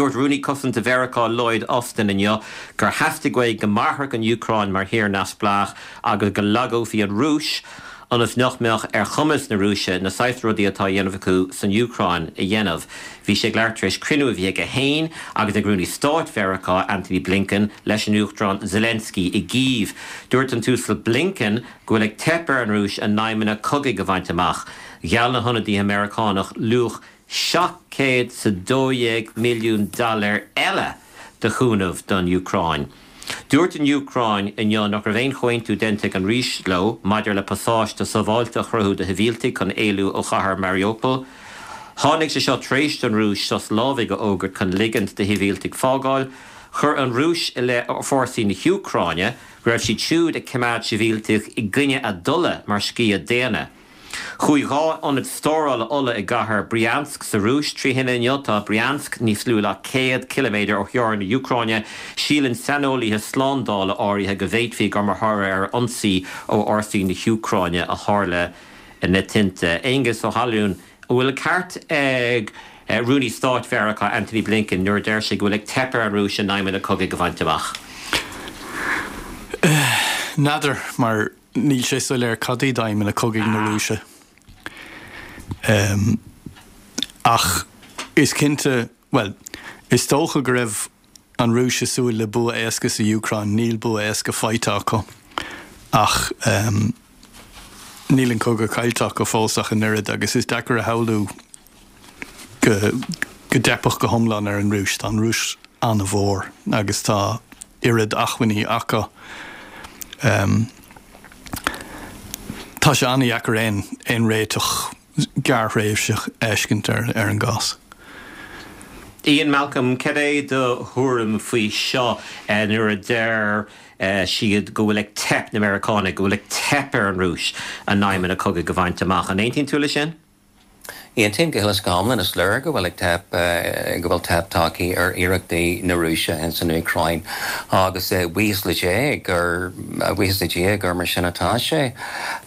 Dúirt Rúnaí Cosanta Mheiriceá Lloyd Austin inniu gur theastaigh uaidh go mairfeadh an Úcráin mar thír neamhspleách agus go lagófaí an Rúis ionas nach mbeadh ar chumas na Rúise na saghas rudaí atá á dhéanamh acu san Úcráin a dhéanamh. Bhí sé ag labhairt tar éis cruinniú a bhí aige féin agus ag Rúnaí Stáit Mheiriceá Antony Blinken leis an Uachtarán Zelensky i gCív. Dúirt an tUasal Blinken go bhfuil ag teip ar an Rúis a n-aidhmeanna cogaidh a bhaint amach. Gheall na hionadaithe Meiriceánach luach 712 milliún dollar eile de chúnamh don Úcráin. Dúirt an Úcráin inniu nach raibh aon chomhaontú déanta ag an Rúis leo maidir le pasáiste sábháilte a chruthú do shibhialtaigh chun éalú ó chathair Mariupol. Tháinig sé seo tar éis don Rúis sos lámhaigh a fhógairt chun ligint do shibhialtaigh fágáil. Chuir an Rúis i leith fórsaí na hÚcráine go raibh siad siúd ag coimeád sibhialtaigh i gcoinne a dtola mar sciath daonna. Chuaigh 2 ionad stórála ola i gcathair Bryansk sa Rúis trí thine inniu. Tá Bryansk níos lú ná 100 ciliméadar ó theorainn na hÚcráine. Síleann saineolaithe slándála áirithe go bhféadfaí gur mar thoradh ar ionsaí ó fhórsaí na hÚcráine a tharla na tinte. Aengus Ó hAlmhain, an bhfuil an ceart ag Rúnaí Stáit Mheiriceá Antony Blinken nuair a deir sé go bhfuil ag teip ar an Rúis a n-aidhmeanna cogaidh a bhaint amach? N'fheadar, mar Níl sé soiléir cad iad aidhmeanna cogaidh na Rúise. Ach is cinnte, bhuel, is dócha go raibh an Rúis ag súil le bua éasca sa Úcráin. Níl bua éasca faighte acu. Ach níl an cogadh caillte acu fós ach an oiread agus is deacair a shamhlú go dteipfeadh go hiomlán ar an Rúis. Tá an Rúis an-mhór agus tá oiread acmhainní acu. Tá sé an-dheacair aon aon réiteach gearrthréimhseach a fheiscint ar ar an gcás. Ian Malcolm, cad é do thuairim faoi seo nuair a deir siad go bhfuil ag teip na Meiriceánaigh, go bhfuil ag teip ar an Rúis a n-aidhmeanna cogaidh a bhaint amach? An aontaíonn tú leis sin? Aontaím go huile is go hiomlán. Is léir go bhfuil ag teip, go bhfuil teip tagtha ar iarrachtaí na Rúise ins an Úcráin agus buíochas le Dé gur, buíochas le Dia gur mar sin atá sé.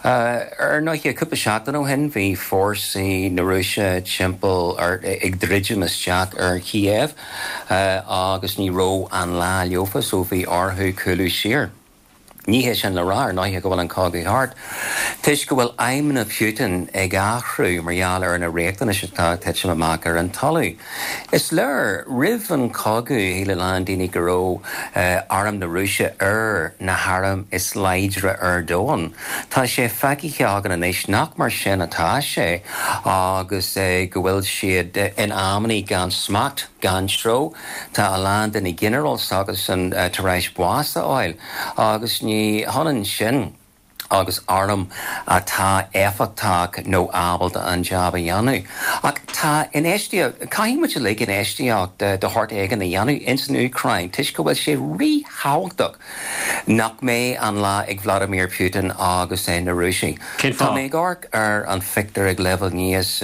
Ar ndóighe, cúpla seachtain ó shin bhí fórsaí na Rúise timpeall ar, ag druidim isteach ar Kiev agus ní raibh an lá leofa so bhí orthu cúlú siar. Ní hé sin le rá, ar ndóighe, go bhfuil an cogadh thart. Toisc go bhfuil aidhmeanna Putin ag athrú mar gheall ar na riachtanais atá ag titim amach ar an talamh. Is léir, roimh an chogadh, shíl a lán daoine go raibh arm na Rúise ar na hairm is láidre ar domhan. Tá sé feicthe againn anois nach mar sin atá sé agus go bhfuil siad in amannaí gan smacht, gan treo. Tá a lán de na ginearáil s'acusan tar éis bás a fháil agus ní hionann sin agus arm atá éifeachtach nó ábalta an jab a dhéanamh. Ach tá infheistíocht, caithfidh muid uilig infheistíocht de shórt éigin a dhéanamh ins an Úcráin toisc go bhfuil sé ríthábhachtach nach mbeidh an lá ag Vladimir Putin agus na Rúisigh. Cén Tá fáth? mé ag amharc ar an phictiúr ag leibhéal níos,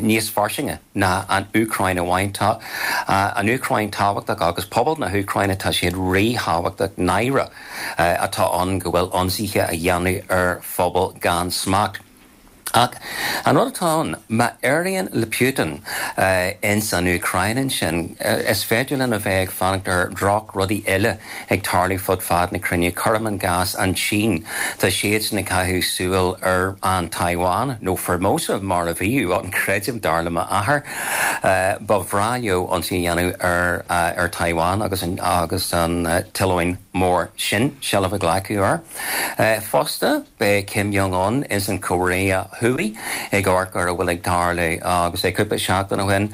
níos fairsinge. ná an Úcráin amháin. Tá an Úcráin tábhachtach agus pobal na hÚcráine, tá siad ríthábhachtach. Náire atá ann go bhfuil ionsaithe á dhéanamh ar phobal gan smacht. Ach an rud atá ann, má éiríonn le Putin ins an Úcráin ansin, is féidir linn a bheith ag fanacht ar dhroch-rudaí eile ag tarlú fud fad na cruinne. Cuirim i gcás an tSín, tá siadsan ag caitheamh súil ar an Taiwan, nó Formosa mar a bhíodh ann, creidim, dar le m'athair. Ba bhreá leo ionsaí a dhéanamh ar ar Taiwan agus an agus an t-oileán mór sin seilbh a ghlacadh air. Fosta, beidh Kim Jong Un ins an Chóiré Thuaidh ag amharc ar a bhfuil ag tarlú agus cúpla seachtain ó shin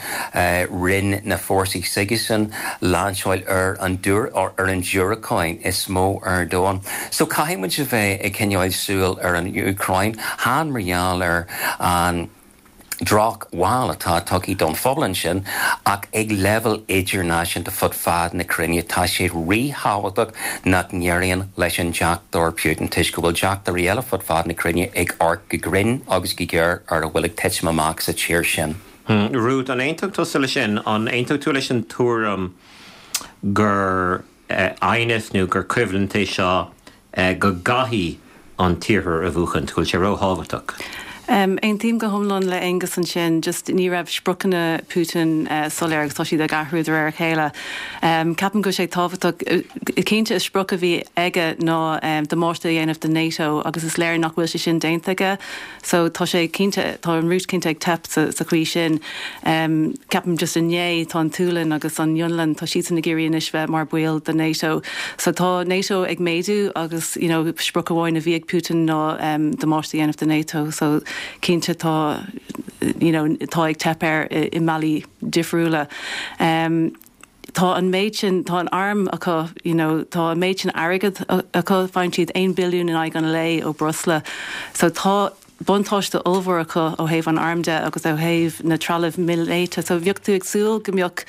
rinne na fórsaí s'aigesean lainseáil ar an ar an diúracán is mó ar domhan. So caithfidh muid a bheith ag coinneáil súil ar an Úcráin, chan mar gheall ar an drochbhail atá tugtha don phobal ansin ach ag leibhéal idirnáisiúnta fud fad na cruinne tá sé ríthábhachtach nach n-éiríonn leis an deachtóir Putin toisc go bhfuil deachtóirí eile fud fad na cruinne ag amharc go grinn agus go géar ar a bhfuil ag titim amach sa tír sin. Ruth, an aontódh tusa leis sin? An aontódh tú leis an tuairim gur aighneas nó gur coimhlint é seo go gcaithfidh an tIarthar a bhuachaint, go bhfuil sé róthábhachtach? Aontaím go hiomlán le Aengus ansin, just ní raibh spriocanna Putin soiléir agus tá siad ag athrú de réir a chéile. Ceapaim go bhfuil sé tábhachtach, cinnte is sprioc a bhí aige ná damáiste a dhéanamh do NATO agus is léir nach bhfuil sé sin déanta aige. So tá sé cinnte, tá an Rúis cinnte ag teip sa chaoi sin. Ceapaim just inné tá an tSualainn agus an Fhionlainn, tá siadsan ag iarraidh anois bheith mar baill de NATO. So tá NATO ag méadú agus you know sprioc amháin a bhí ag Putin ná damáiste a dhéanamh do NATO. So cinnte tá you know tá ag teip air i mbealaí difriúla. Tá an méid sin, tá an arm acu, you know, tá an méid sin airgead acu, faigheann siad 1 billiún in aghaidh an lae ó breosla. So tá buntáiste ollmhór acu ó thaobh an airm de agus ó thaobh na trealamh míleata. So bheadh tú ag súil go mbeadh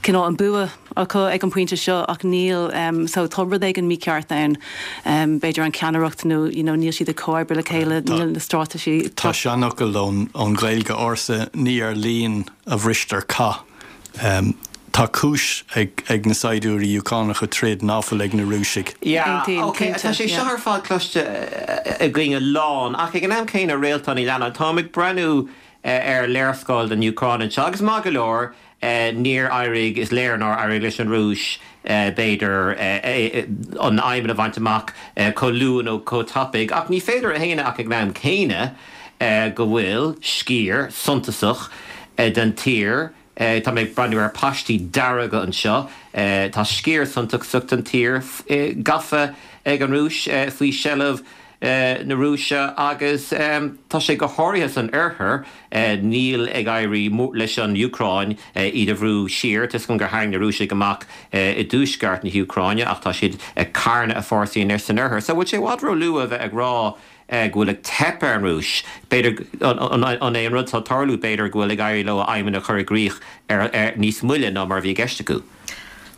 cineál an bua acu ag an bpointe seo ach níl. So tá rud éigin mícheart ann. B'fhéidir an ceannaireacht nó, you know, níl siad ag comhoibriú le chéile, níl na straitéisí. Tá seanfhocal ón Ghaeilge ársa, ní ar líon a bhristear cath. Tá cúis ag na saighdiúirí Úcránacha troid ná fuil ag na Rúisigh. Yeah, ok, tá sé seo ar fad cloiste againn a lán, ach ag an am céanna, Réaltán Ní Leannáin, táim ag breathnú ar léarscáil den Úcráin anseo agus maith go leor, níor éirigh, is léir nár éirigh leis an Rúis, b'fhéidir, an aidhm a bhaint amach chomh luath nó chomh tapaidh, ach ní féidir a shéanadh ach ag an am céanna go bhfuil sciar suntasach den tír, tá mé ag breathnú ar paistí dearga anseo, tá sciar suntasach den tír gafa ag an Rúis, faoi sheilbh na Rúise agus tá sé go háirithe san oirthear, níl ag éirí leis an Úcráin iad a bhrú siar. Tá 'fhios agam gur tharraing na Rúisigh amach i dtuaisceart na hÚcráine ach tá siad ag carnadh a fórsaí anois san oirthear. So bhfuil sé i bhfad róluath a bheith ag rá go bhfuil ag teip ar an Rúis? B'fhéidir, an é an rud atá ag tarlú, b'fhéidir go bhfuil ag éirí leo a aidhmeanna a chur i gcrích ar níos moille ná mar a bhí i gceist acu?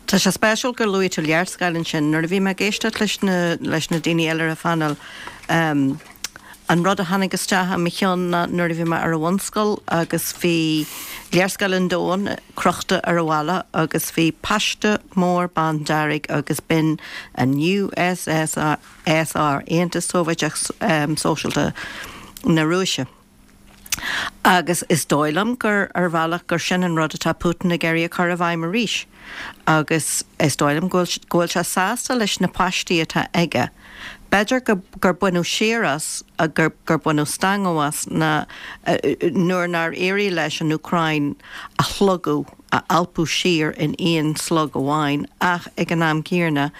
Tá sé spéisiúil gur luaigh tú léarscáil ansin. Nuair a bhí mé ag éisteacht leis na leis na daoine eile ar an phainéal, an rud a tháinig isteach i mo cheann ná nuair a bhí mé ar an bhunscoil agus bhí léarscáil an domhain crochta ar an bhalla agus bhí paiste mór bándearg agus b'in an USSR, Aontas Sóivéadach Sóisialta na Rúise. Agus is dóigh liom gur, ar bhealach, gur sin an rud atá Putin ag iarraidh a chur i bhfeidhm arís. Agus is dóigh liom go bhfuil, go bhfuil sé sásta leis na paistí atá aige. B'fhéidir go, gur baineadh siar as, gur, gur baineadh stangadh as ná, nuair nár éirigh leis an Úcráin a shlogadh, a alpadh siar in aon slog amháin ach ag an am céanna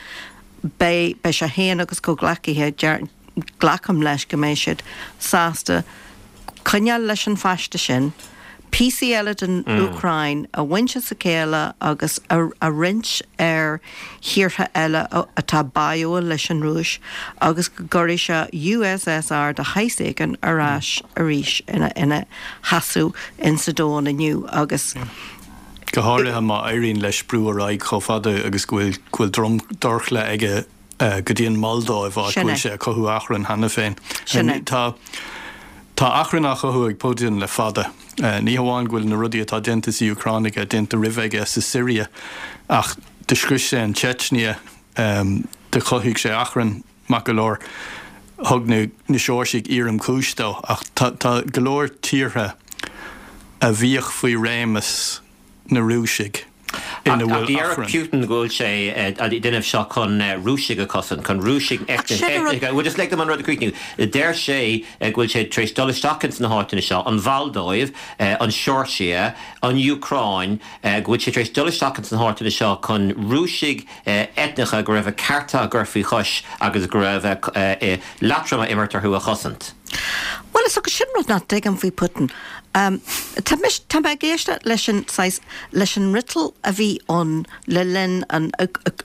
beidh, beidh sé féin agus comhghleacaithe, glacaim leis go mbeidh siad sásta coinneáil leis an phaiste sin, píosaí eile den Úcráin a bhaint as a chéile agus a roinnt ar thíortha eile atá báúil leis an Rúis agus go gcuirfidh sé USSR de shaghas éigin ar ais arís ina sheasamh insa domhan inniu agus. Go háirithe má éiríonn leis brú ar aghaidh chomh fada agus go bhfuil dorchla aige go dtí an Mholdóiv, áit go bhfuil sé ag cothú achrann cheana féin. Sin é. Tá tá achrann á chothú ag Putin le fada. Ní hamháin go bhfuil na rudaí atá déanta sa Úcráin aige déanta roimhe aige sa Siria, ach do scrios sé an tSeitsnia, do chothaigh sé achrann maith go leor. Thug na na Seoirsiaigh éirim-chúis dó, ach tá tá go leor tíortha a bhíodh faoi réimeas na Rúisigh ina bhfuil achrann. Ach deir Putin go bhfuil sé ag déanamh seo chun Rúisigh a chosaint, chun Rúisigh eitneacha, bhuel just lig dom an rud a chríochnú. Deir sé go bhfuil sé tar éis dul isteach ins na háiteanna seo, an Mholdóiv, an Seoirsia, an Úcráin, go bhfuil sé tar éis dul isteach ins na háiteanna seo chun Rúisigh eitneacha go raibh a cearta á gcur faoi chois agus go raibh leatrom á imirt orthu a chosaint. Bhuel, is sin rud nach dtuigim faoi Putin. Tá mise, tá mé ag éisteacht leis an saghas, leis an fhriotal a bhí ann le linn an,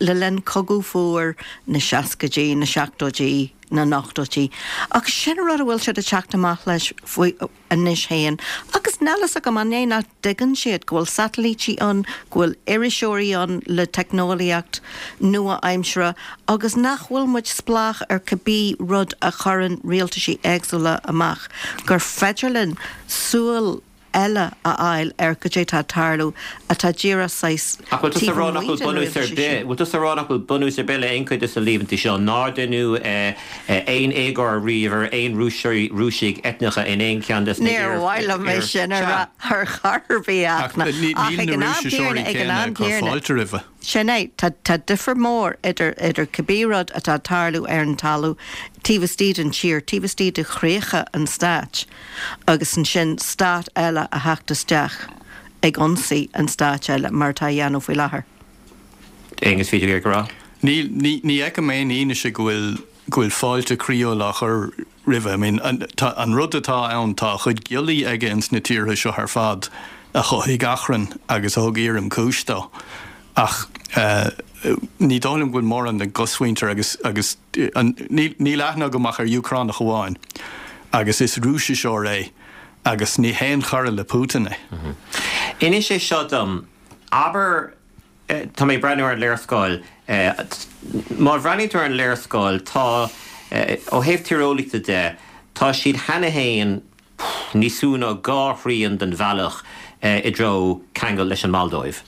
le linn Cogadh Fuar na seascaidí, na seachtóidí, na n-ochtóidí. Ach sin an rud a bhfuil siad ag teacht amach leis faoi anois féin. Agus níl fhios agam an é nach dtuigeann siad go bhfuil satailítí ann, go bhfuil iriseoirí ann le teicneolaíocht nua-aimsire agus nach bhfuil muid spleách ar cibé rud a chuireann rialtaisí éagsúla amach, gur féidir linn súil. eile a fháil ar goidé atá ag tarlú atá díreach saghas Ach bhfuil tusa taobh ag rá nach amuigh bhfuil den bunús ar rialtas bith, sin. bhfuil tusa ag rá nach bhfuil bunús ar bith le aon chuid de na líomhaintí seo, nár deineadh aon éagóir riamh ar aon Rúisigh eitneacha in aon cheann des na Níor mhaith liom é sin a rá ar chor ar bith Ach ach ach níl ag na an am Rúisiseoirí céanna, ag an céanna am ag cur céanna, fáilte roimhe. Sin é. Tá, tá difear mór idir, idir cibé rud atá ag tarlú ar an talamh taobh istigh den tír, taobh istigh de chríocha an stáit agus ansin stát eile a theacht isteach ag ionsaí an stáit eile mar atá á dhéanamh faoi láthair. Aengus, bhí tú ag rá? Níl, ní, ní fheicim aon fhianaise go bhfuil, go bhfuil fáilte croíúil á chur roimhe. I mean, an, tá, an rud atá ann, tá a chuid giollaí aige ins na tíortha seo ar fad a chothaigh achrann agus a thug éirim cúis dó. Ach eh, ní dóigh liom go bhfuil mórán den gcosmhuintir agus, agus an, níl, níl aithne agam ach ar Úcránach amháin agus is Rúisiseoir é agus ní haon chara le Putin é. Inis é seo dom, abair, Tá mé ag breathnú ar an léarscáil. Má bhreathnaíonn tú ar an léarscáil, tá, ó thaobh tíreolaíochta de, tá siad cheana féin níos lú ná 2 thrian den bhealach i dtreo ceangal leis an Moldóiv,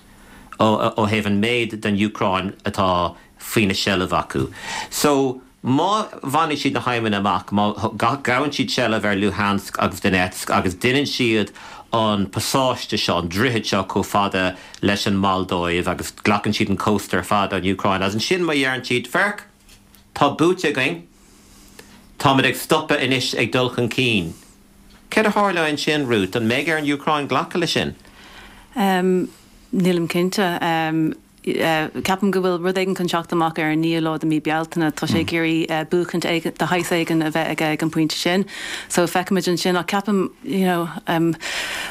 ó thaobh an méid den Úcráin atá faoina seilbh acu. So, Má bhaineann siad na haidhmeanna amach, má ghabhann siad seilbh ar Luhansk agus Donetsk agus deineann siad an pasáiste seo, an droichead seo chomh fada leis an Moldóiv agus glacann siad an cósta ar fad ón Úcráin agus ansin má dheireann siad, Féach, tá buaite againn, táimid ag stopadh anois ag dul chun cinn. Céard a tharlóidh ansin, Ruth? An mbeidh ar an Úcráin glacadh leis sin? Nílim cinnte. Ceapaim go bhfuil rud éigin chun teacht amach ar an 9ú lá de mí Bealtaine. Tá sé ag iarraidh buachaint de shaghas éigin a bheith aige ag an bpointe sin. So feicfimid ansin. Ach ceapaim, you know, an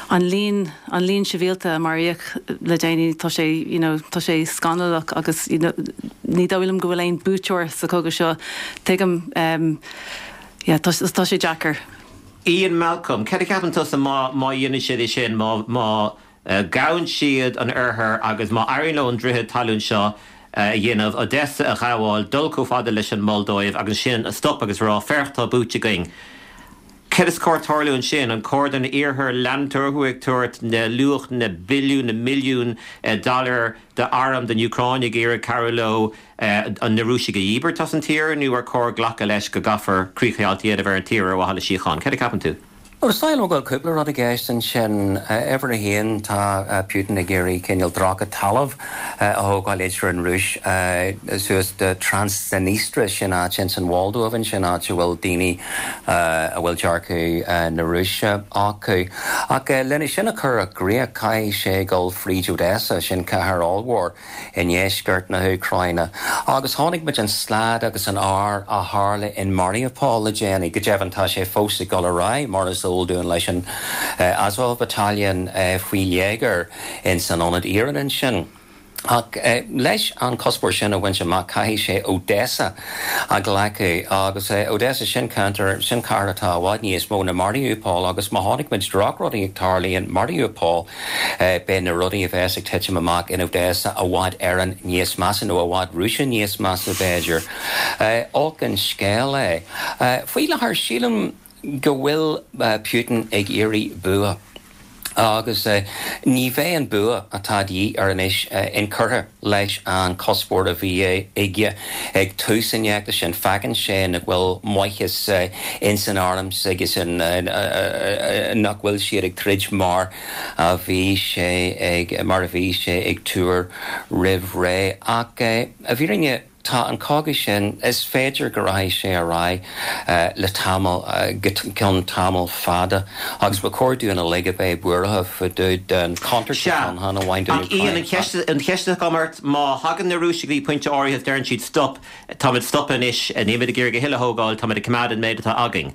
líon, an líon sibhialta a maraíodh le déanaí, tá sé, you know, tá sé scannalach agus, you know, ní dóigh liom go bhfuil aon buaiteoir sa chogadh seo. Tuigim, yeah, tá, tá sé deacair. Ian Malcolm, céard a cheapann tusa má, má dhéanann siad é sin, má, má, gabhann siad an oirthear agus má éiríonn leo an droichead talún seo a dhéanamh, Odessa a ghabháil, dul chomh fada leis an Moldóiv agus ansin stop agus rá, féach tá buaite againn. Céard is cóir tarlú ansin? An cóir don iarthar leanúint orthu ag tabhairt na luach na billiún, na milliún dollar d'airm don Úcráin ag iarraidh cabhrú leo na Rúisigh a dhíbirt as an tír nó ar cóir glacadh leis go gcaithfear críochdheighilt a dhéanamh ar an tír ar mhaithe le síocháin? Céard a cheapann tú? Bhuel, is dóigh liom go bhfuil cúpla rud i gceist ansin. Uimhir a haon, tá Putin ag iarraidh cineál droichead talaimh a thógáil idir an Rúis suas do Transdniestria, sin áit ins an Mholdóiv ansin, áit a bhfuil daoine a bhfuil dearcadh na Rúise acu. Ach lena sin a chur i gcrích, caithfidh sé dul fríd Odessa, sin cathair ollmhór. i ndeisceart na hÚcráine. Agus chonaic muid an slad agus an ár a tharla in Mariupol le déanaí. Go deimhin tá sé fós ag dul ar aghaidh, mar is eol dúinn, leis an Azov Battalion faoi léigear ins an ionad iarainn ansin. Ach leis an cuspóir sin a bhaint amach caithfidh sé Odessa a ghlacadh. Agus Odessa, sin ceantar, sin cathair atá i bhfad níos mó ná Mariupol agus má chonaic muid drochrudaí ag tarlú in Mariupol, Beidh na rudaí a bheas ag titim amach in Odessa i bhfad Éireann níos measa, nó i bhfad Rúise níos measa, b'fhéidir. Olc an scéal é. Faoi láthair, sílim go bhfuil Putin ag iarraidh bua. Agus ní bheidh an bua atá de dhíth air anois inchurtha leis an chuspóir a bhí aige ag tús an fheachtais sin. Feiceann sé nach bhfuil maitheas ins an arm s'aigesean, nach bhfuil siad ag troid mar a bhí sé ag, mar a bhí sé ag tuar roimh ré. Ach i bhfírinne, tá an cogadh sin, is féidir go rachaidh sé ar aghaidh le tamall, go ceann tamall fada agus ba chóir dúinn uilig a bheith buartha fá dtaobh den chontúirt Sea. atá ann chan amháin don Ach Ian, an Úcráin cheist, ach. an cheist atá agam ort, má thagann na Rúisigh go dtí pointe áirithe is deireann siad stop, táimid stoptha anois, nílimid ag iarraidh a thuilleadh a thógáil, táimid ag coimeád an méid atá againn.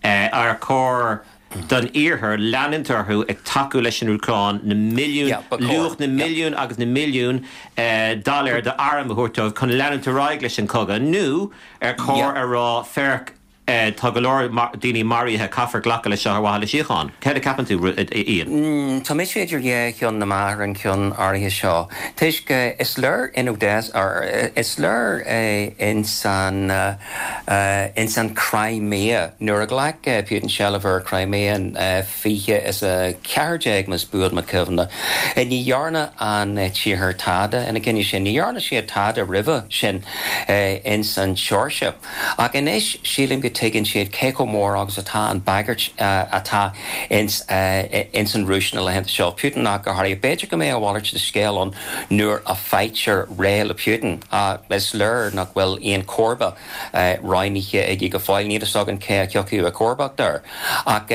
Ar chóir don Iarthar leanúint orthu ag tacú leis an Úcráin, na milliúin, Yeah, ba chóir. luach na Yeah. milliún agus na milliún dollar d'airm a thabhairt dóibh chun leanúint ar aghaidh leis an chogadh, nó ar chóir Yeah. a rá, féach. Tá go leor daoine maraithe, caithfear glacadh leis seo ar mhaithe le síocháin. Céard a ceapann tú, Ian? Tá mise idir dhá cheann na meá ar an cheann áirithe seo, toisc is léir in Odessa, or is léir ins an, ins an Crimea, nuair a ghlac Putin seilbh ar Crimea in 20 is 14 más buan mo chuimhne, ní dhearna an tIarthar tada ina choinne sin, ní dhearna siad tada roimhe sin ins an tSeoirsia. Ach anois sílim go tuigeann siad cé chomh mór agus atá an bagairt atá ins ins an Rúis na laethanta seo, Putin ach go háirithe. B'fhéidir go mbeidh a mhalairt de scéal ann nuair a faightear réidh le Putin. Is léir nach bhfuil aon chomharba roghnaithe aige go fóill. Níl fhios againn cé a thiocfadh i gcomharbacht air. Ach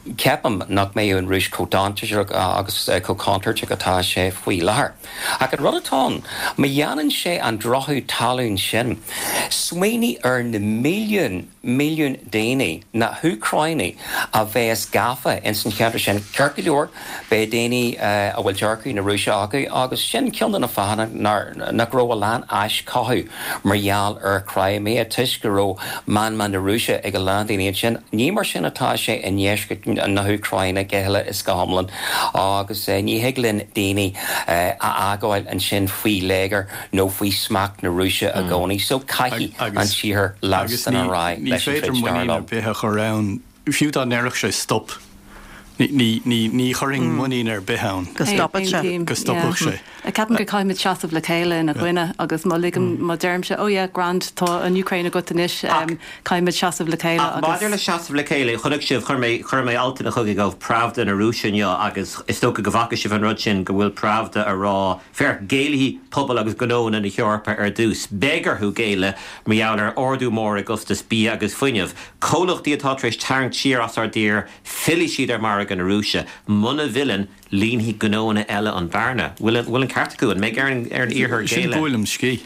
ceapaim nach mbeidh an Rúis chomh dainséarach agus chomh contúirteach atá sé faoi láthair. Ach an rud atá ann, má dhéanann sé an droichead talún sin, smaoinigh ar na milliúin, milliúin daoine, na hÚcránaigh a bheas gafa ins an cheantar sin. Ceart go leor, beidh daoine a bhfuil dearcadh na Rúise acu agus sin ceann de na fáthanna nach raibh a lán aischothú mar gheall ar Crimea, toisc go raibh meanma na Rúise ag a lán daoine ansin. Ní mar sin atá sé i ndeisceart na hÚcráine go huile is go hiomlán agus ní thig linn daoine a fhágáil ansin faoi léigear nó faoi smacht na Rúise i gcónaí. So caithfidh an tIarthar leanstan ar aghaidh leis an troid, dar liom. Ní féidir muinín ar bith a chur ann, fiú dá ndéarfadh sé stop. Ní chuirfinn muinín ar bith ann. Go stopfadh sé. Go stopfadh sé. Ceapaim go caithfimid seasamh le chéile ina gcoinne agus má ligim, má deirimse, oh yeah, grand, tá an Úcráin agat anois, caithfimid seasamh le chéile agus. Ach maidir le seasamh le chéile, chonaic sibh, chuir mé, chuir mé altanna chugaibh ó Pravda na Rúise inniu agus is dócha go bhfaca sibh an rud sin, go bhfuil Pravda a rá, féach, géillfidh pobail agus gnóanna na hEorpa ar dtús. Beidh orthu géilleadh mar gheall ar ardú mór i gcostas bia agus fuinnimh. Comhlachtaí atá tar éis tarraingt siar as ár dtír, Fillfidh siad ar mhargadh na Rúise. Muna bhfilleann, líonfaidh gnóanna eile an bhearna. Bhfuil an ceart acu? An mbeidh ar an Iarthar géilleadh? Sin buaileam scíth.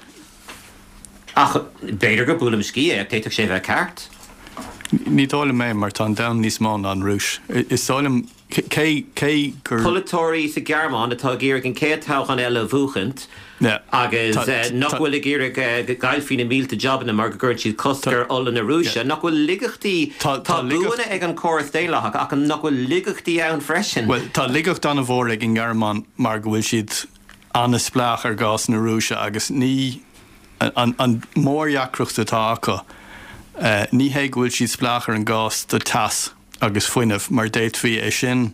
Ach b'fhéidir gur buaileam scíth é, ach d'fhéadfadh sé a bheith ceart. Ní dóigh liom é, mar tá an domhan níos mó ná an Rúis. Is dóigh liom Cé, cé gur. Polaiteoirí sa Ghearmáin atá ag iarraidh an chéad toghchán eile a bhuachaint agus nach bhfuil ag iarraidh go gcaillfí na mílte jabanna mar go gcuireann siad cosc ar ola na Rúise. Nach bhfuil laigeachtaí, tá buanna ag an chóras daonlathach ach nach bhfuil laigeachtaí ann freisin? Bhuel, tá laigeacht an-mhór ag an nGearmáin mar go bhfuil siad an-spleách ar ghás na Rúise agus ní, an mhórdheacracht atá acu, ní hé go bhfuil siad spleách ar an gás do teas. agus fuinneamh, mar d'fhéadfaí é sin,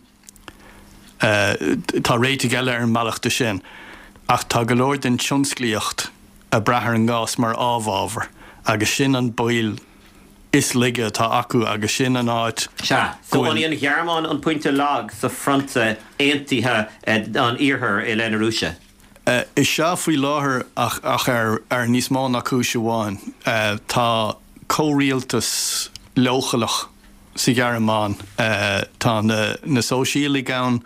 tá réitigh eile ar an mbealach de sin, ach tá go leor den tionsclaíocht ag brath ar an ngás mar amhábhar agus sin an baol is laige atá acu agus sin an áit Sea, so an í an Ghearmáin an pointe lag sa fronta aontaithe an Iarthair i leith na Rúise? Is ea faoi láthair ach ar níos mó ná cúis amháin. Tá comhrialtas leochaileach sa Ghearmáin. Tá na Sóisialaigh ann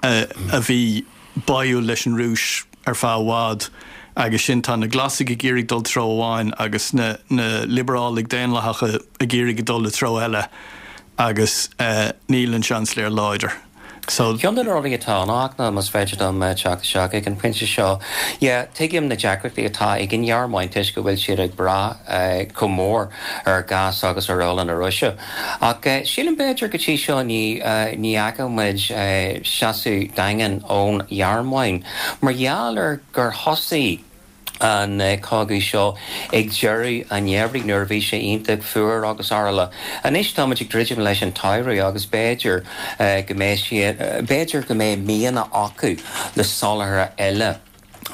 a bhí báúil leis an Rúis ar feadh i bhfad agus sin tá na Glasaigh ag iarraidh dul treo amháin agus na Liobrálaigh Daonlathacha ag iarraidh dul i treo eile agus níl an Seansailéir láidir. So. Ceann de na rudaí atá ann ach ná, más féidir dom teacht isteach ag an bpointe seo, yeah, tuigim na deacrachtaí atá ag an nGearmáin toisc go bhfuil siad ag brath chomh mór ar ghás agus ar ola na Rúise. Ach sílim b'fhéidir go dtí seo ní ní fhaca muid seasamh daingean ón Ghearmáin mar gheall ar gur thosaigh an cogadh seo ag deireadh an gheimhridh nuair a bhí sé iontach fuar agus araile. Anois táimid ag druidim leis an tsamhradh agus b'fhéidir go mbeidh siad, b'fhéidir go mbeidh mianach acu le soláthar eile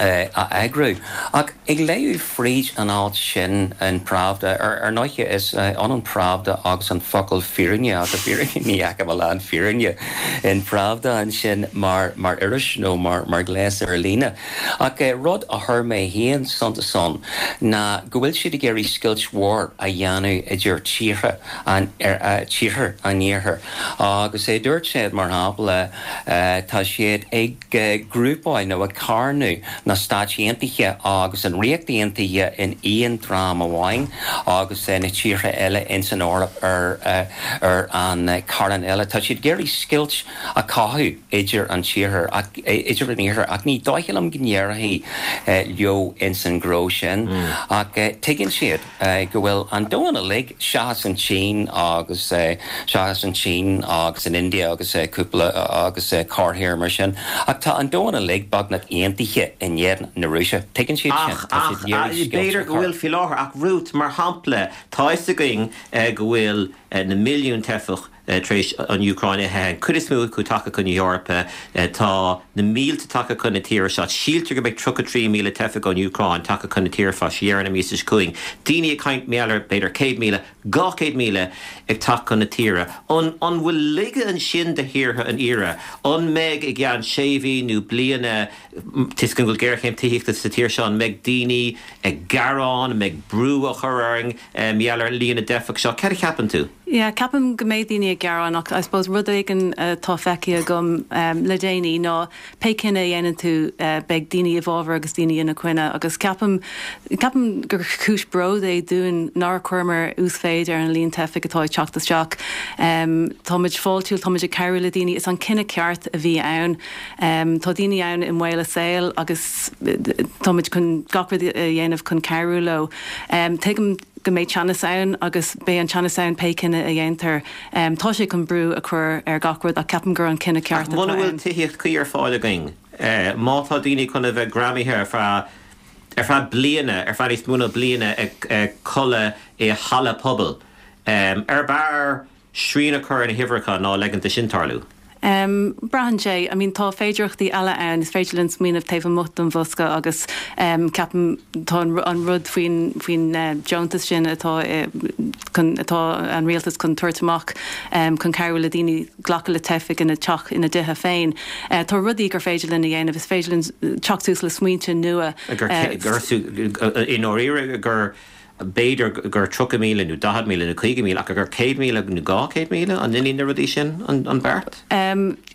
a eagrú. Ach ag léamh fríd an alt sin in Pravda, ar ndóighe is ionann Pravda agus an focal fírinne ach i bhfírinne ní fheicim a lán fírinne in Pravda ansin mar mar iris nó mar mar ghléas ar líne. Ach rud a chuir mé féin suntas ann ná go bhfuil siad ag iarraidh scoilt mhór a dhéanamh idir tíortha an tíortha an Iarthair agus dúirt siad, mar shampla, tá siad ag grúpáil nó ag carnadh. Na Stáit Aontaithe agus an Ríocht Aontaithe in aon dream amháin agus na tíortha eile ins an Eoraip ar ar an carn eile. Tá siad ag iarraidh scoilt a chothú idir an tíortha ach idir an iarthar ach ní dóiche liom go n-éireoidh leo ins an ghnó sin ach tuigeann siad go bhfuil an domhan uilig, seachas an tSín agus seachas an tSín agus an India agus cúpla agus corrthír mar sin, ach tá an domhan uilig beagnach aontaithe in éadan na Rúise. Tuigeann siad sin. Ach, Tá siad ach, ag iarraidh scoilt b'fhéidir a go chur. bhfuil faoi láthair, ach Ruth, mar shampla, tá fhios againn go bhfuil na milliúin teifeach tar éis an Úcráin a theitheadh, an chuid is mó acu tagtha chun na hEorpa. Tá na mílte tagtha chun na tíre seo. Síltear go mbeidh 33,000 teifeach ón Úcráin tagtha chun na tíre fá dheireadh na míosa seo chugainn. Daoine ag caint mar gheall ar b'fhéidir 100,000, 200,000 ag teacht chun na tíre. An an bhfuil laige ansin do thíortha an iarthair? An mbeidh i gceann sé mhí nó bliana, toisc go bhfuil géarchéim tithíochta sa tír seo, an mbeidh daoine ag gearán, an mbeidh brú á chur orainn mar gheall ar líon na dteifeach seo? Cad a cheapann tú? Yeah, ceapaim go mbeidh daoine ag gearán ach I suppose rud éigin atá feicthe agam le déanaí ná pé cinneadh a dhéanann tú beidh daoine i bhfabhar agus daoine ina coinne agus ceapaim, ceapaim gur cúis bród é dúinn nár chuireamar uasmhéid ar an líon teifigh atá ag teacht isteach. Táimid fáiltiúil, táimid ag cabhrú le daoine, is an cinneadh ceart a bhí ann. Tá daoine ann i mbaol a saoil agus táimid chun gach rud a dhéanamh chun cabhrú leo. Tuigim go mbeidh teannas ann agus beidh an teannas ann pé cinneadh a dhéantar. Tá sé chun brú a chur ar gach rud ach ceapaim gur an cinneadh Ach ceart atá muna bhfuil ann. tithíocht cuí ar fáil againn, má tá daoine chun a bheith greamaithe ar feadh ar feadh bliana, ar feadh níos mó ná bliana ag codladh i halla pobail, ar b'fhearr srian a chur ar na huimhreacha ná leigint do sin tarlú. Braitheann sé. I mean tá féidearthachtaí eile ann, is féidir linn smaoineamh taobh amuigh den bhosca agus ceapaim tá an rud faoin faoin deontas sin atá chun atá an rialtas chun tabhairt amach chun cabhrú le daoine glacadh le teifigh ina teach ina dtithe féin. Tá rudaí gur féidir linn a dhéanamh, is féidir linn teacht suas le smaointe nua. Gur i ndáiríre gur B'fhéidir gur 30,000 nó 40,000 nó 50,000 ach gur 100,000 nó 200,000 an ndéanann na rudaí sin an beart?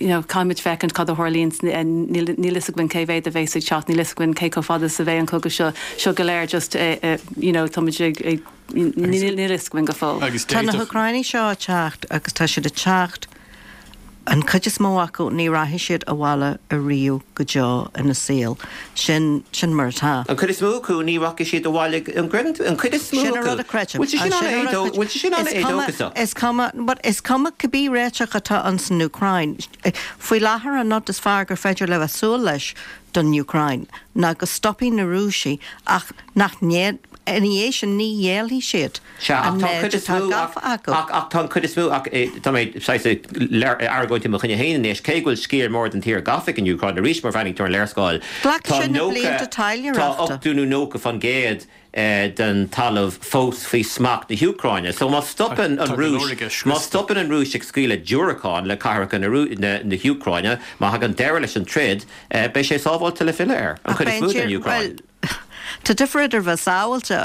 You know, caithfimid féachaint cad a tharlaíonn, níl fhios againn cé mhéad a bheas ag teacht, níl fhios againn cé chomh fada is a bheidh an cogadh seo, seo go léir just you know, táimid ag, níl fhios againn go fóill. Tá na hÚcránaigh seo ag teacht agus tá siad ag teacht An chuid is mó acu, ní rachaidh siad abhaile ariamh go deo ina saol. Sin, sin mar atá. An chuid is mó acu, ní rachaidh siad abhaile, an gcreideann tú? An chuid is mó Sin an acu. rud a chreidim. Bhfuil sé sin Sin an rud a an-éadó, bhfuil sé sin Is cuma, an-éadóchasach? is cuma, but is cuma cibé réiteach atá ann san Úcráin, faoi láthair an rud is fearr gur féidir le bheith súil leis don Úcráin ná go stopfaidh na Rúisigh ach nach ina dhiaidh sin ní ghéillfidh siad Sea, ach an tá an méid chuid is atá mó, ach, gafa acu. ach, ach tá an chuid is mó, ach tá mé saghas ag argóint i mo choinne féin anois, cé go bhfuil sciar mór den tír gafa ag an Úcráin, arís má bhreathnaíonn tú ar an léarscáil, Glacfaidh tá sé na 90, blianta tá taidhleoireachta. 80 nó 90% den talamh fós faoi smacht na hÚcráine. So má stopann an Tá go leor Rúis, aige má scriosta. stopann an Rúis ag scaoileadh diúracán le cathracha na, na, na hÚcráine, má thagann deireadh leis an troid, beidh sé sábháilte le filleadh air, an Ach chuid is beidh mó an den tír, Úcráin. bhuel, Tá difear idir bheith sábháilte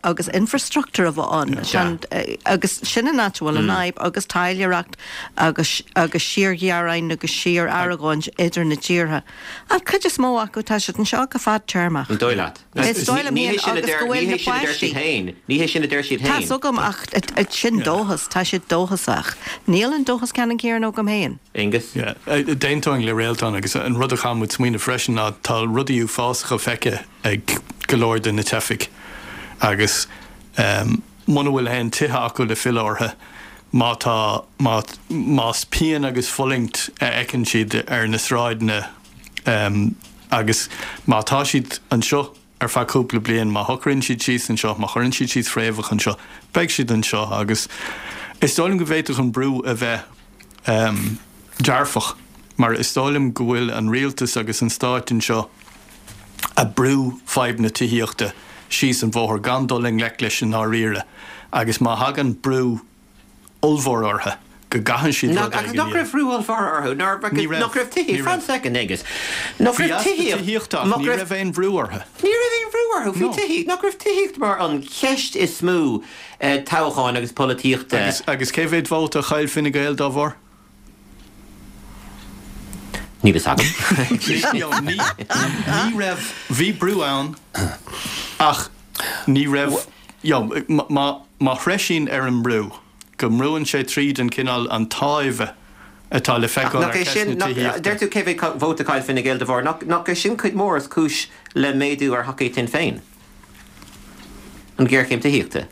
agus infrastruchtúr a bheith ann. Sea. Agus sin an áit a bhfuil an fhadhb agus taidhleoireacht agus agus síorghearáin agus síor-argóint idir na tíortha. An chuid is mó acu tá siad anseo go fadtéarmach. An dóigh leat? Is dóigh liom Ní hé féin sin a agus deir go ní bhfuil hé na sin a deir siad páistí. féin. Ní hé sin a deir siad Tá's féin. agam ach sin dóchas, tá siad dóchasach. Níl an dóchas ceannann céanna agam féin. Aengus? Yeah. D'aontóinn le Réaltán agus an rud a chaithfidh muid smaoineamh freisin ná tá rudaí uafásacha feicthe ag go leor de na teifigh agus muna bhfuil aon tithe acu le filleadh orthu, má tá, má, más pian agus fulaingt a fheiceann siad ar na sráideanna agus má tá siad anseo ar feadh cúpla bliain, má shocraíonn siad síos anseo, má chuireann siad síos fréamhacha anseo, beidh siad anseo agus is dóigh liom go bhféadfadh an brú a bheith dearfach mar is dóigh liom go bhfuil an rialtas agus an stáit anseo ag brú fadhb na tithíochta síos an bhóthar gan dul i ngleic leis i ndáiríre agus má thagann brú ollmhór orthu go gcaitheann siad rud Agus éigin nach a raibh brú ollmhór orthu? Ní raibh. Nach raibh tithíocht? Ní Fan raibh. soicind, Aengus. Nach Bhí raibh easpa tithíocht? tithíochta ach Nach ní raibh raibh aon bhrú orthu. Ní raibh aon bhrú orthu. Bhí No. tithíocht. Nach raibh tithíocht mar an cheist is mó toghcháin agus polaitíochta. Agus agus cé mhéad vóta a chaill Fine Gael dá bharr? Níl fhios agam. Ní raibh, bhí brú ann ach ní raibh, you know, má, má threisíonn ar an mbrú, go mbrúann sé tríd an cineál, an táimhe atá le Ach feiceáil nach ar é cheist sin, na nach, tithíochta. deir tú cé mhéad vóta a chaill Fine Gael de bharr, nach, nach é sin cuid mhór is cúis le méadú ar thacaíocht Shinn Féin? An ghéarchéim tithíochta?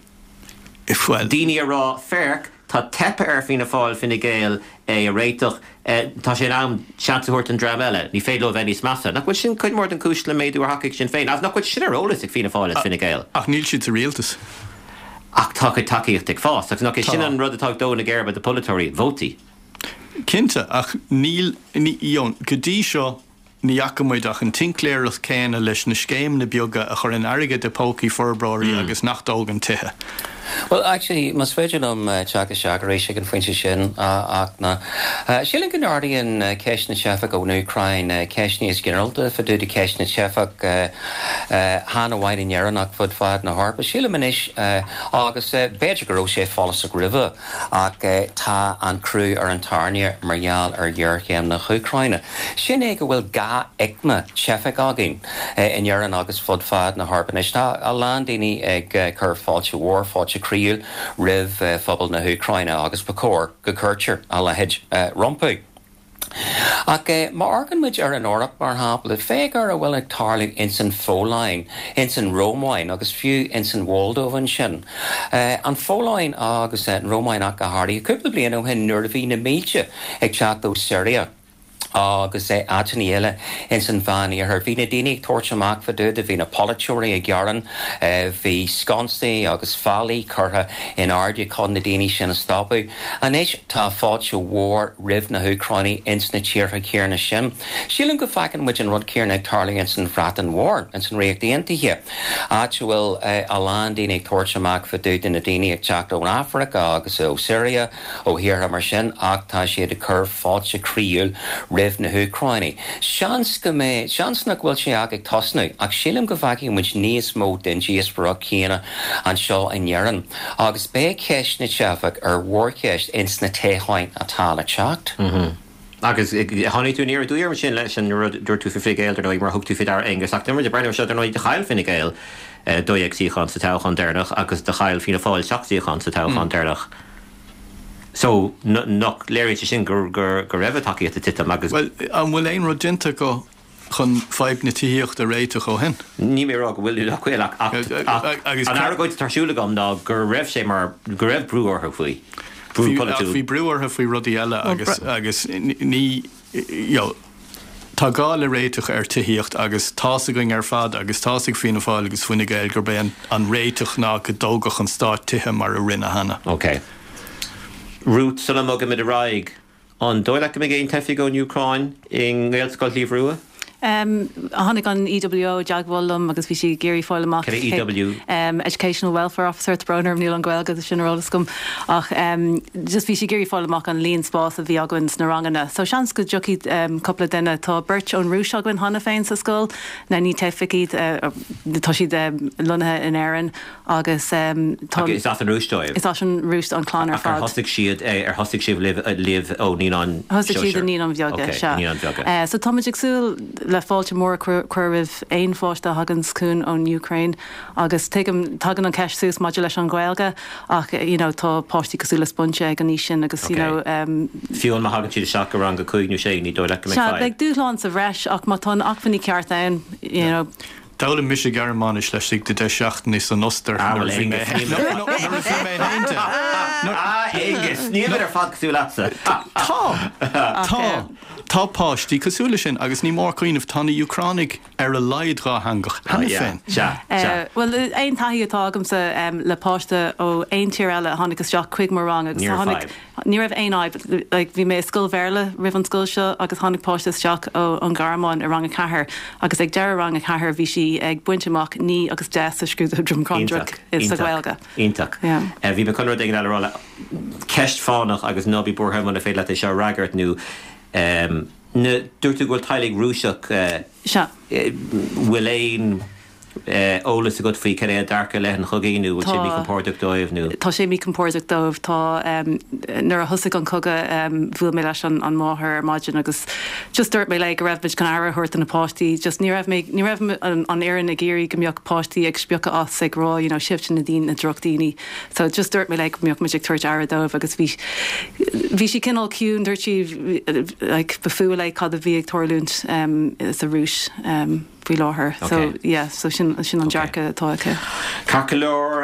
Bhuel. Daoine a rá, féach, tá teipthe ar Fianna Fáil, Fine Gael é a réiteach, tá sé in am seans a thabhairt don dream eile, ní féidir leo a bheith níos measa. Nach bhfuil sin cuid mhór den chúis le méadú ar thacaíocht Sinn Féin? Agus nach bhfuil sin ar eolas ag Fianna Fáil is Fine Gael? Ach níl siad sa rialtas. Ach tá a gcuid tacaíochta ag fás. Agus nach é sin Tá. an rud atá ag dó na geirbe do pholaiteoirí, vótaí. Cinnte, ach níl, ní, you know, go dtí seo, Ní fhaca muid ach an tincléireacht céanna leis na scéimeanna beaga a chuireann airgead i pócaí forbróirí agus nach dtógann tithe. Bhuel, actually, más féidir liom teacht isteach arís ag an phointe sin, ach ná, sílim go n-ardaíonn ceist na teifeach ón Úcráin ceist níos ginearálta fá dtaobh de cheist na teifeach, chan amháin in Éirinn ach fud fad na hEorpa. Sílim anois, agus b'fhéidir go raibh sé follasach roimhe, Ach tá an crú ar an tairne mar gheall ar ghéarchéim na hÚcráine. Sin é go bhfuil dhá aicme teifeach againn in Éirinn agus fud fad na hEorpa anois. Tá a lán daoine ag cur fáilte mhór, fáilte chroíúil roimh phobal na hÚcráine agus ba chóir go gcuirtear a leithéid rompu. Ach má amharcann muid ar an Eoraip, mar shampla, féach ar a bhfuil ag tarlú ins an Pholainn, ins an Rómáin agus fiú ins an Mholdóiv ansin. An Pholainn agus an Rómáin ach go háirithe, cúpla bliain ó shin nuair a bhí na mílte ag teacht ó Siria agus áiteanna eile ins an Mheán-Iarthar, bhí na daoine ag tabhairt amach fá dtaobh de, bhí na polaiteoirí ag gearán, bhí sconsaí agus fallaí curtha in airde chun na daoine sin a stopadh. Anois tá fáilte mhór roimh na hÚcránaigh ins na tíortha céarna sin. Sílim go bhfeiceann muid an rud céarna ag tarlú ins an Bhreatain Mhór, ins an Ríocht Aontaithe, áit a bhfuil a lán daoine ag tabhairt amach fá dtaobh de na daoine ag teacht ón Afraic agus ó Syria, ó thíortha mar sin, ach tá siad ag cur fáilte chroíúil roimh na hÚcránaigh. Seans go mbeidh, seans nach bhfuil sé ach ag tosnú, ach sílim go bhfeicfidh muid níos mó den díospóireacht chéanna anseo in Éirinn. Agus beidh ceist na dteifeach ar mhórcheist ins na toghcháin atá le teacht. Agus tháinig tú aniar aduaidh orm ansin leis an rud a dúirt tú faoi Fine Gael, dar ndóigh, mar thug tú faoi deara, Aengus, ach nuair a breathnaíonn seo, dar ndóigh, do chaill Fine Gael 12 suíochán sa toghchán deireanach agus do chaill Fianna Fáil 7 suíochán sa toghchán deireanach. So, nach léiríonn sé sin go raibh a dtacaíocht ag titim agus. Bhuel, an bhfuil aon rud déanta acu chun fadhb na tithíochta a réiteach ó shin? Níl mé ag rá go bhfuil nó nach bhfuil ach ach an argóint atá ar siúl agam ná go raibh sé mar go raibh brú orthu faoi, brú polaitiúil. Ach bhí brú orthu faoi rudaí eile agus agus ní you know tá gá le réiteach ar tithíocht agus tá's againn ar fad agus tá's ag Fianna Fáil agus Fine Gael gurb é an an réiteach ná go dtógfadh an stát tithe mar a rinne cheana. Ok. Ruth, sula mbogaimid ar aghaidh, An dóigh leat go mbeidh aon teifigh ón Úcráin i nGaelscoil Shliabh Rua? Tháinig an EWO i dteagmháil liom agus bhí sí ag iarraidh fáil amach Cad é EWO? Educational Welfare Officer, tá brón orm níl an Ghaeilge de sin ar eolas agam ach just bhí sí ag iarraidh fáil amach an líon spás a bhí againn sna ranganna. So seans go dtiocfaidh cúpla duine, tá beirt ón Rúis againn cheana féin sa scoil, now ní teifigh iad, tá siad lonnaithe in Éirinn Agus tá. Is as an Rúis dóibh? Is as an Rúis don chlann ar Ach ar fad. thosaigh siad, ar thosaigh sibh libh, libh ó naíonáin Thosaigh siad i sóisir? Naíonáin Bheaga, Ok, sea. Naíonáin Bheaga. So táimid ag súil le fáilte mhór a chur roimh aon pháiste a thaganns chugainn ón Úcráin agus tuigim, tagann an cheist suas maidir leis an Ghaeilge ach you know tá páistí cosúil le sponge ag an aois sin agus you Ok. know. Fiú má thagann siad isteach go rang a cúig nó sé, ní dóigh leat go mbeidh Sea, fadhb? beidh dúshlán sa bhreis ach má tá na acmhainní ceart ann, you know. D'fhoghlaim mise Gearmáinis laistigh de 10 seachtainí san Ostair Ah, nuair bhuel, a bhí mé Aengus, níl no, no, nuair a bhí mé 11. Ah, Aengus, nílimid ar fad cosúil leatsa. Tá, tá, tá páistí cosúil leis sin agus ní mór cuimhneamh, tá na Úcránaigh ar a laghad dhátheangach Ah, cheana yeah, féin. sea, sea. Bhuel, aon taithí atá agamsa le páiste ó aon tír eile a tháinig isteach chuig mo rang agus Ní raibh tháinig, fadhb. Ní raibh aon fhadhb. Like, bhí mé i scoil Bhéarla roimh an scoil seo agus tháinig páiste isteach ó an Ghearmáin i rang a ceathair agus ag deireadh rang a ceathair bhí sí ag baint amach 9 agus 10 sa scrúdú Droim Iontach, Conrach sa iontach, Ghaeilge. iontach. Yeah. Bhí mé chun rud éigin eile a rá le ceist fánach agus ná bí buartha muna féidir leat é seo a fhreagairt nó ehm, na, dúirt tú go bhfuil teaghlaigh Rúiseach eh, Sea. bhfuil aon. Eolas agat faoi cad é a dearcadh i leith an chogaidh nó bhfuil sé míchompordach dóibh nó? Tá sé míchompordach dóibh. Tá, nuair a thosaigh an cogadh bhuail mé leis an máthair ar maidin agus just dúirt mé léi go raibh muid chun aire a thabhairt do na páistí. Just ní raibh mé, ní raibh an fhoireann ag iarraidh go mbeadh páistí ag spiocadh as ag rá you know sibhse na daoine, na drochdhaoine. So just dúirt mé léi go mbeadh muid ag tabhairt aire dóibh agus bhí, bhí sí cineál ciúin, dúirt sí like ba fuath léi cad a bhí ag tarlúint sa Rúis. faoi láthair. So yeah, so sin sin an dearcadh atá aici. Ceart go leor.